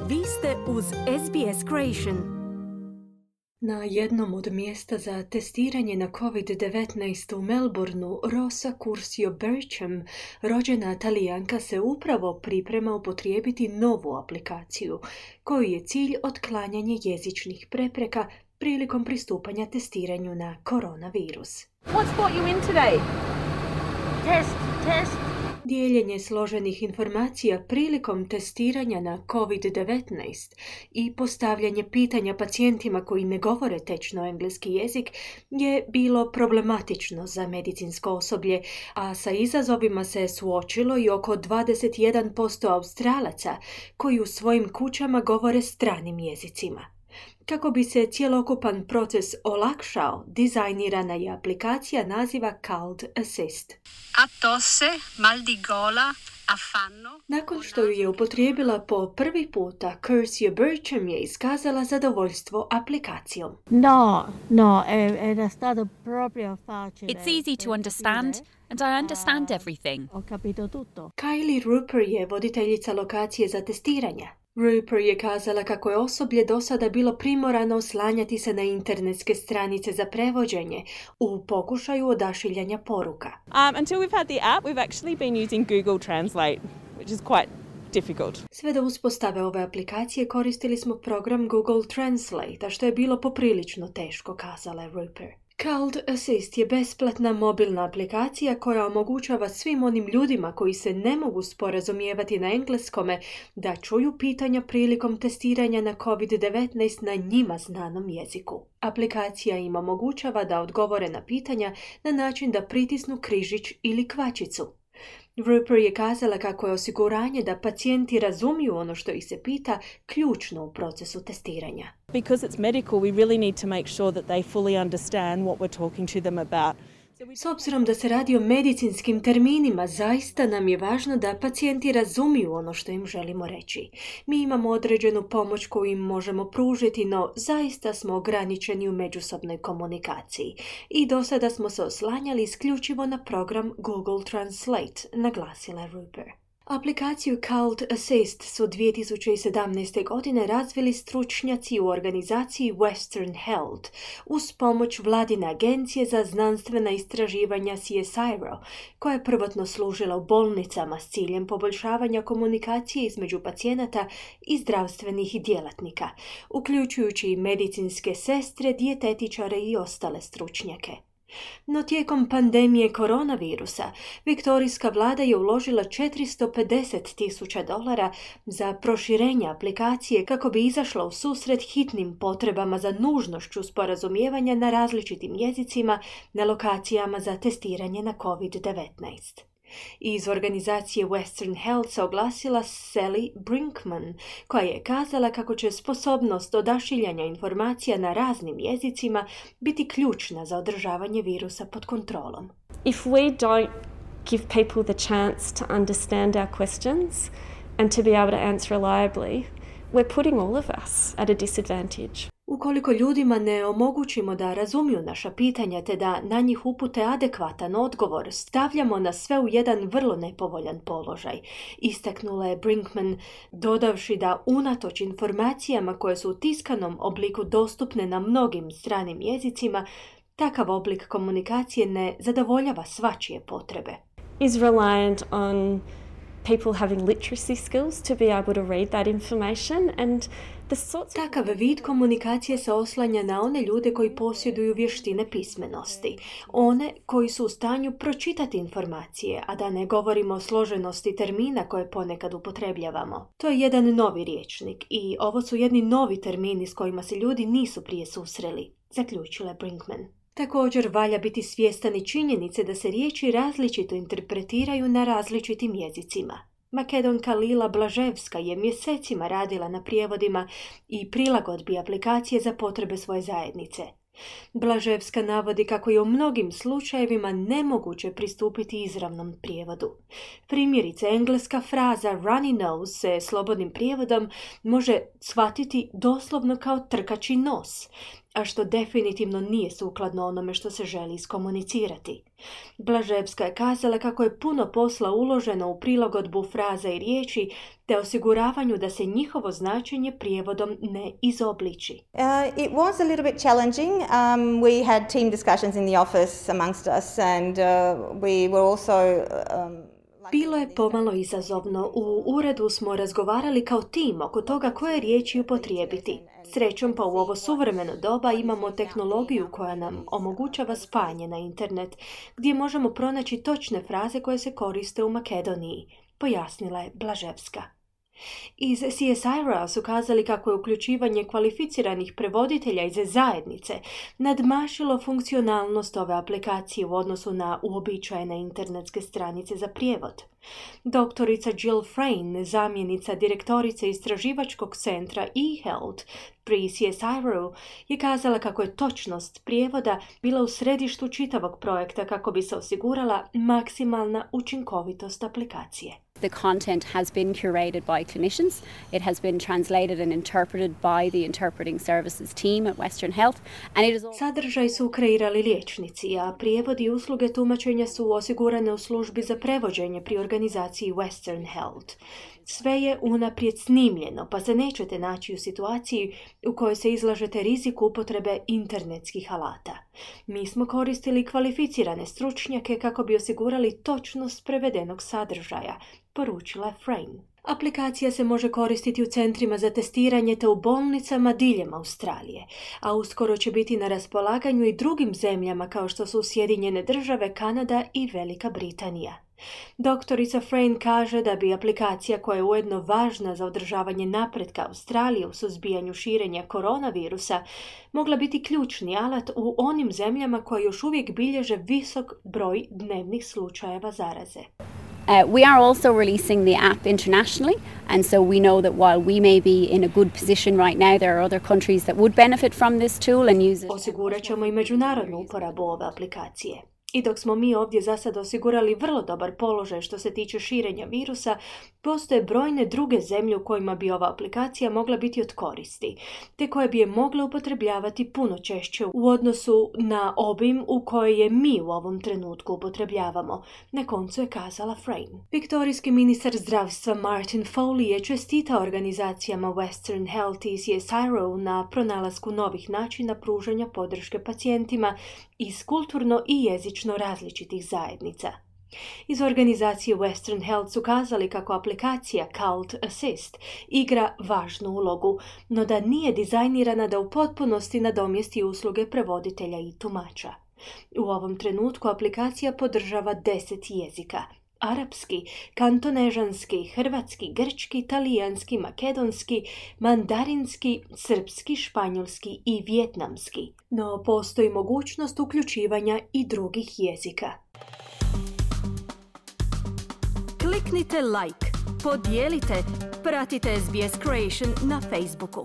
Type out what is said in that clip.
Vi ste uz SBS Creation. Na jednom od mjesta za testiranje na COVID-19 u Melbourneu, Rosa Curcio Berchem, rođena Talijanka, se upravo priprema upotrijebiti novu aplikaciju, koju je cilj otklanjanje jezičnih prepreka prilikom pristupanja testiranju na koronavirus. What's brought you in today? Test. Dijeljenje složenih informacija prilikom testiranja na COVID-19 i postavljanje pitanja pacijentima koji ne govore tečno engleski jezik je bilo problematično za medicinsko osoblje, a sa izazovima se suočilo i oko 21% Australaca koji u svojim kućama govore stranim jezicima. Kako bi se cjelokupan proces olakšao, dizajnirana je aplikacija naziva Cold Assist. A tosse, mal di gola, affanno. Nakon što ju je upotrijebila po prvi puta, Curcio Berchem je iskazala zadovoljstvo aplikacijom. No, era stato proprio facile. It's easy to understand and I understand everything. Ho capito tutto. Kylie Rupert je voditeljica lokacije za testiranja. Rupert je kazala kako je osoblje do sada bilo primorano oslanjati se na internetske stranice za prevođenje u pokušaju odašiljanja poruka. Until we've had the app, we've actually been using Google Translate, which is quite difficult. Sve do uspostave ove aplikacije koristili smo program Google Translate, a što je bilo poprilično teško, kazala je Rupert. Cold Assist je besplatna mobilna aplikacija koja omogućava svim onim ljudima koji se ne mogu sporazumijevati na engleskome da čuju pitanja prilikom testiranja na COVID-19 na njima znanom jeziku. Aplikacija im omogućava da odgovore na pitanja na način da pritisnu križić ili kvačicu. Rupert je kazala kako je osiguranje da pacijenti razumiju ono što ih se pita ključno u procesu testiranja. Because it's medical, we really need to make sure that they fully understand what we're talking to them about. S obzirom da se radi o medicinskim terminima, zaista nam je važno da pacijenti razumiju ono što im želimo reći. Mi imamo određenu pomoć koju im možemo pružiti, no zaista smo ograničeni u međusobnoj komunikaciji. I do sada smo se oslanjali isključivo na program Google Translate, naglasila je Rupert. Aplikaciju Cold Assist su 2017. godine razvili stručnjaci u organizaciji Western Health uz pomoć vladine agencije za znanstvena istraživanja CSIRO, koja je prvotno služila u bolnicama s ciljem poboljšavanja komunikacije između pacijenata i zdravstvenih djelatnika, uključujući i medicinske sestre, dijetetičare i ostale stručnjake. No tijekom pandemije koronavirusa, viktorijska vlada je uložila $450,000 za proširenje aplikacije kako bi izašla u susret hitnim potrebama za nužnošću sporazumijevanja na različitim jezicima na lokacijama za testiranje na COVID-19. Iz organizacije Western Health se oglasila Sally Brinkman, koja je kazala kako će sposobnost odašiljanja informacija na raznim jezicima biti ključna za održavanje virusa pod kontrolom. If we don't give people the chance to understand our questions and to be able to answer reliably, we're putting all of us at a disadvantage. Ukoliko ljudima ne omogućimo da razumiju naša pitanja te da na njih upute adekvatan odgovor, stavljamo nas sve u jedan vrlo nepovoljan položaj, istaknula je Brinkman, dodavši da unatoč informacijama koje su u tiskanom obliku dostupne na mnogim stranim jezicima, takav oblik komunikacije ne zadovoljava svačije potrebe. Is reliant on people having literacy skills to be able to read that information and Takav vid komunikacije se oslanja na one ljude koji posjeduju vještine pismenosti, one koji su u stanju pročitati informacije, a da ne govorimo o složenosti termina koje ponekad upotrebljavamo. To je jedan novi rječnik i ovo su jedni novi termini s kojima se ljudi nisu prije susreli, zaključila je Brinkman. Također valja biti svjestan i činjenice da se riječi različito interpretiraju na različitim jezicima. Makedonka Lila Blaževska je mjesecima radila na prijevodima i prilagodbi aplikacije za potrebe svoje zajednice. Blaževska navodi kako je u mnogim slučajevima nemoguće pristupiti izravnom prijevodu. Primjerice, engleska fraza runny nose se slobodnim prijevodom može shvatiti doslovno kao trkači nos. a što definitivno nije sukladno onome što se želi iskomunicirati. Blaževska je kazala kako je puno posla uloženo u prilagodbu fraza i riječi te osiguravanju da se njihovo značenje prijevodom ne izobliči. It was a little bit challenging. We had team discussions in the office amongst us and we were also Bilo je pomalo izazovno. U uredu smo razgovarali kao tim oko toga koje riječi upotrijebiti. Srećom pa u ovo suvremeno doba imamo tehnologiju koja nam omogućava spajanje na internet, gdje možemo pronaći točne fraze koje se koriste u Makedoniji, pojasnila je Blaževska. Iz CSIRO su kazali kako je uključivanje kvalificiranih prevoditelja iz zajednice nadmašilo funkcionalnost ove aplikacije u odnosu na uobičajene internetske stranice za prijevod. Doktorica Jill Frayne, zamjenica direktorice istraživačkog centra eHealth pri CSIRO, je kazala kako je točnost prijevoda bila u središtu čitavog projekta kako bi se osigurala maksimalna učinkovitost aplikacije. The content has been curated by clinicians. It has been translated and interpreted by the interpreting services team at Western Health. And it is all... Sadržaj su kreirali liječnici, a prijevod i usluge tumačenja su osigurane u službi za prevođenje pri organizaciji Western Health. Sve je unaprijed snimljeno, pa se nećete naći u situaciji u kojoj se izlažete riziku upotrebe internetskih alata. Mi smo koristili kvalificirane stručnjake kako bi osigurali točnost prevedenog sadržaja, poručila je Frayne. Aplikacija se može koristiti u centrima za testiranje te u bolnicama diljem Australije, a uskoro će biti na raspolaganju i drugim zemljama kao što su Sjedinjene Države, Kanada i Velika Britanija. Doktorica Frayne kaže da bi aplikacija koja je ujedno važna za održavanje napretka Australije u suzbijanju širenja koronavirusa mogla biti ključni alat u onim zemljama koje još uvijek bilježe visok broj dnevnih slučajeva zaraze. We are also releasing the app internationally, and so we know that while we may be in a good position right now, there are other countries that would benefit from this tool and use it. Osigurat ćemo i međunarodnu uporabu ove aplikacije. I dok smo mi ovdje za sad osigurali vrlo dobar položaj što se tiče širenja virusa, postoje brojne druge zemlje u kojima bi ova aplikacija mogla biti od koristi, te koje bi je mogle upotrebljavati puno češće u odnosu na obim u kojoj je mi u ovom trenutku upotrebljavamo, na koncu je kazala Frayne. Viktorijski ministar zdravstva Martin Foley je čestitao organizacijama Western Health i CSIRO na pronalasku novih načina pružanja podrške pacijentima iz kulturno i jezično različitih zajednica. Iz organizacije Western Health su kazali kako aplikacija Cult Assist igra važnu ulogu, no da nije dizajnirana da u potpunosti nadomjesti usluge prevoditelja i tumača. U ovom trenutku aplikacija podržava 10 jezika: arapski, kantonežanski, hrvatski, grčki, talijanski, makedonski, mandarinski, srpski, španjolski i vjetnamski. No postoji mogućnost uključivanja i drugih jezika. Kliknite like, podijelite, pratite SBS Creation na Facebooku.